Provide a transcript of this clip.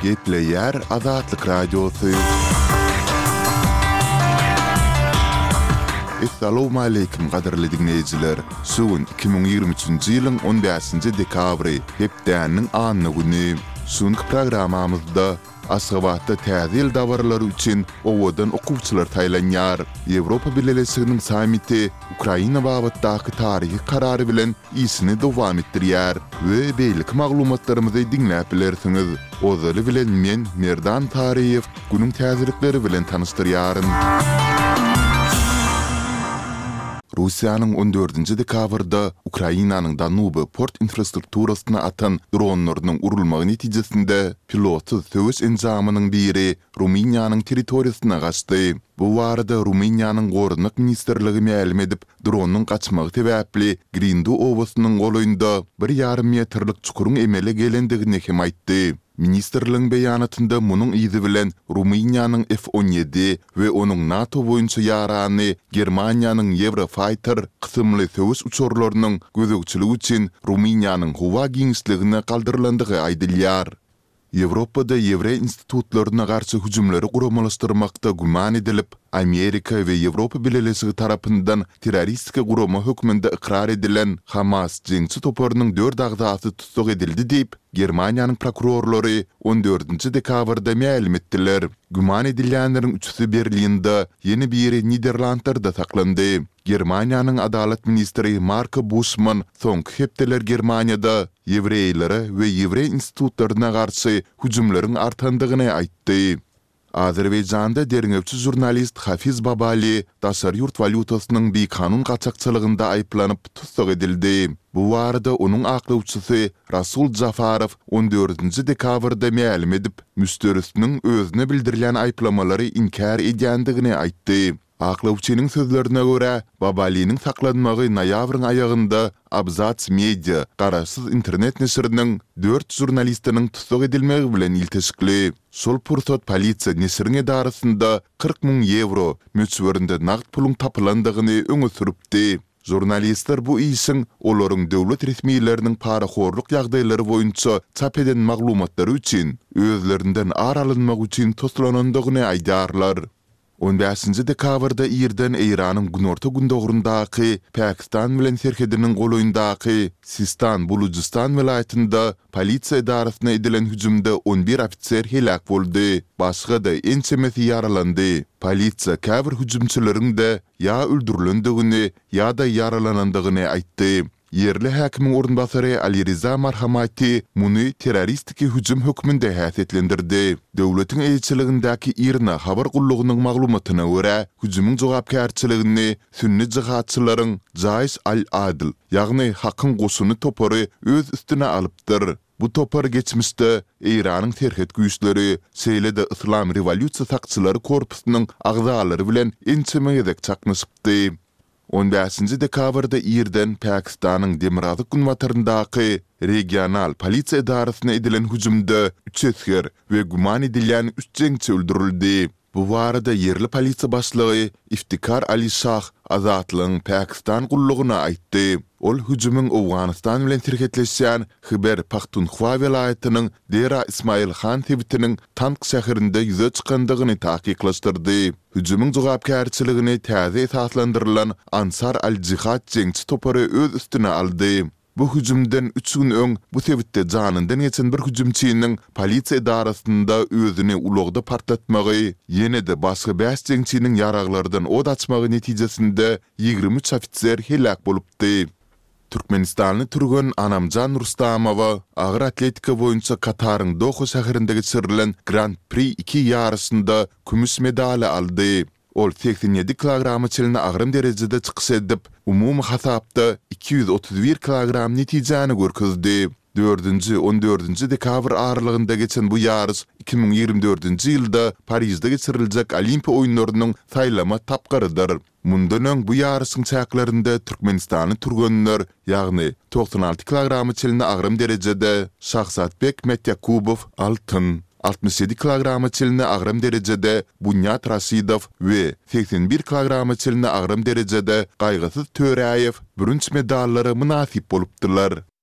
Gepleýär Azatlyk Radiosy. Essalawmaleýkim gadyrly diňleýjiler! Şu gün 2023-nji ýylyň on bäşinji dekabry, hepdäniň anna güni. Şu günki programmamyzda Aşgabatda Täze ýyl dabaralary üçin owadan okuwçylar saýlanýar. Ýewropa Bileleşiginiň sammiti Ukraina babatdaky taryhy karary bilen işini dowam etdirýär we beýleki maglumatlarymyzy diňläp bilersiňiz. Ozaly bilen men, Merdan Taryýew, günüň täzelikleri bilen tanyşdyrýaryn. Russiýanyň on dördünji dekabrda Ukrainanyň Danuby port infrastrukturasyna atan dronlarynyň urulmagy netijesinde pilotsyz söweş enjamynyň biri Rumyniýanyň territoriýasyna gaçdy. Bu barada Rumyniýanyň Goranmak ministrligi mälim edip, dronyň gaçmagy sebäpli Grindu obasynyň golaýynda bir ýarym metrlik çukuryň emele gelendigini hem aýtdy. Ministrligiň beýanatynda munuň yzy bilen Rumyniýanyň F-on ýedi we onuň NATO boýunça ýarany Germaniýanyň Eurofighter kysymly söweş uçarlarynyň gözegçiligi üçin Rumyniýanyň howa giňişligine galdyrylandygy aýdylýar. Ýewropada ýewreý institutlaryna garşy hüjümleri guramalaşdyrmakda güman edilip, Amerika we Ýewropa Bileleşigi tarapyndan terroristik gurama hökmünde ykrar edilen Hamas jeňçi toparynyň dört agzasy tussag edildi diýip, Germaniýanyň prokurorlary on dördünji dekabrda mälim etdiler. Güman edilýänleriň üçüsi Berlinde, ýene biri Niderlandlarda saklandy. Germaniýanyň adalat ministri Marko Buşman soňky hepdeler Germaniýada ýewreýlere we ýewreý institutlaryna garşy hüjümleriň artandygyny aýtdy. Azerbaýjanda derňewçi žurnalist Hafiz Babali daşary ýurt walýutasynyň bikanun gaçakçylygynda aýyplanyp tussag edildi. Bu barada onuň aklawçysy Rasul Jafarow on dördünji dekabrda mälim edip, müşderisiniň özüne bildirilýän aýyplamalary inkär edýändigini aýtdy. Aklawçynyň sözlerine görä, Babaliniň saklanmagy noýabryň aýagynda Abzats Media garaşsyz internet neşiriniň dört žurnalistiniň tussag edilmegi bilen ilteşikli. Şol pursat polisiýa neşiriň edarasynda 40 müň ýewro möçberinde nagt puluň tapylandygyny öňe sürüpdi. Žurnalistler bu işiň olaryň döwlet resmileriniň parahorluk ýagdaýlary boýunça çap eden maglumatlary üçin özlerinden ar alynmagy üçin toslanandygyny aýdýarlar. On bäşinji dekabrda irden Eýranyň günorta-gündogaryndaky Pakistan bilen serhediniň golaýyndaky Sistan-Bulujystan welaýatynda polisiýa edarasyna edilen hüjümde on bir ofiser heläk boldy, başga-da ençemesi ýaralandy. Polisiýa käbir hüjümçileriň-de ýa öldürilendigini, ýa-da ýaralanandygyny aýtdy. Ýerli häkimiň orunbasary Aliriza Marhamati muny terroristiki hüjüm hökmünde häsiýetlendirdi. Döwletiň eýeçiligindäki IRNA habar gullugynyň maglumatyna görä, hüjümiň jogapkärçiligini sünni jihadçylaryň Jaýş al-Adl, ýagny Hakyň goşuny topary öz üstüne alypdyr. Bu topar geçmişde Eýranyň serhet güýçleri, şeýle-de Yslam rewolýusiýa sakçylary korpusynyň agzalary bilen ençeme gezek çaknyşypdy. On bäşinji dekabrda irden Pakistanyň demirgazyk-günbataryndaky regional polisiýa edarasyna edilen hüjümde üç esger we güman edilýän üç jeňçi öldürildi. Bu barada ýerli polisiýa başlygy Iftikar Ali Şah Azatlygyň Pakistan gullugyna aýtdy. Ol hüjümiň Owganystan bilen serhetleşýän Hyber-Pahtunhwa welaýatynyň Dera Ismail Han sebitiniň Tank şäherinde ýüze çykandygyny takyklaşdyrdy. Hüjümiň jogapkärçiligini täze esaslandyrylan Ansar al-Jihad jeňçi topary öz üstüne aldy. Bu hüjümden üç gün öň bu sebitde janyndan geçen bir hüjümçiniň polisiýa edarasynda özüni ulagda partlatmagy, ýene-de başga bäş jeňçiniň ýaraglardan ot açmagy netijesinde 23 ofiser heläk bolupdy. Türkmenistanly türgen Anamjan Rustamowa agyr atletika boýunça Kataryň Doha şäherinde geçirilen Grand-Pri iki ýaryşynda kümüş medaly aldy. Ol 87 kilograma çenli agram derejede çykyş edip, umumy hasapda 231 kilogram netijäni görkezdi. Dördünji, on dördünji dekabr aralygynda geçen bu ýaryş 2024-nji ýylda Parižde geçiriljek Olimpiýa oýunlarynyň saýlama tapgyrydyr. Mundan öň bu ýaryşyň çäklerinde türkmenistanly türgenler, ýagny 96 kilograma çenli agram derejede Şahzatbek Mätýakubow altyn, 67 kilograma çenli agram derejede Bunýat Raşidow we 81 kilograma çenli agram derejede Gaýgysyz Töräýew bürünç medallara mynasyp bolupdylar.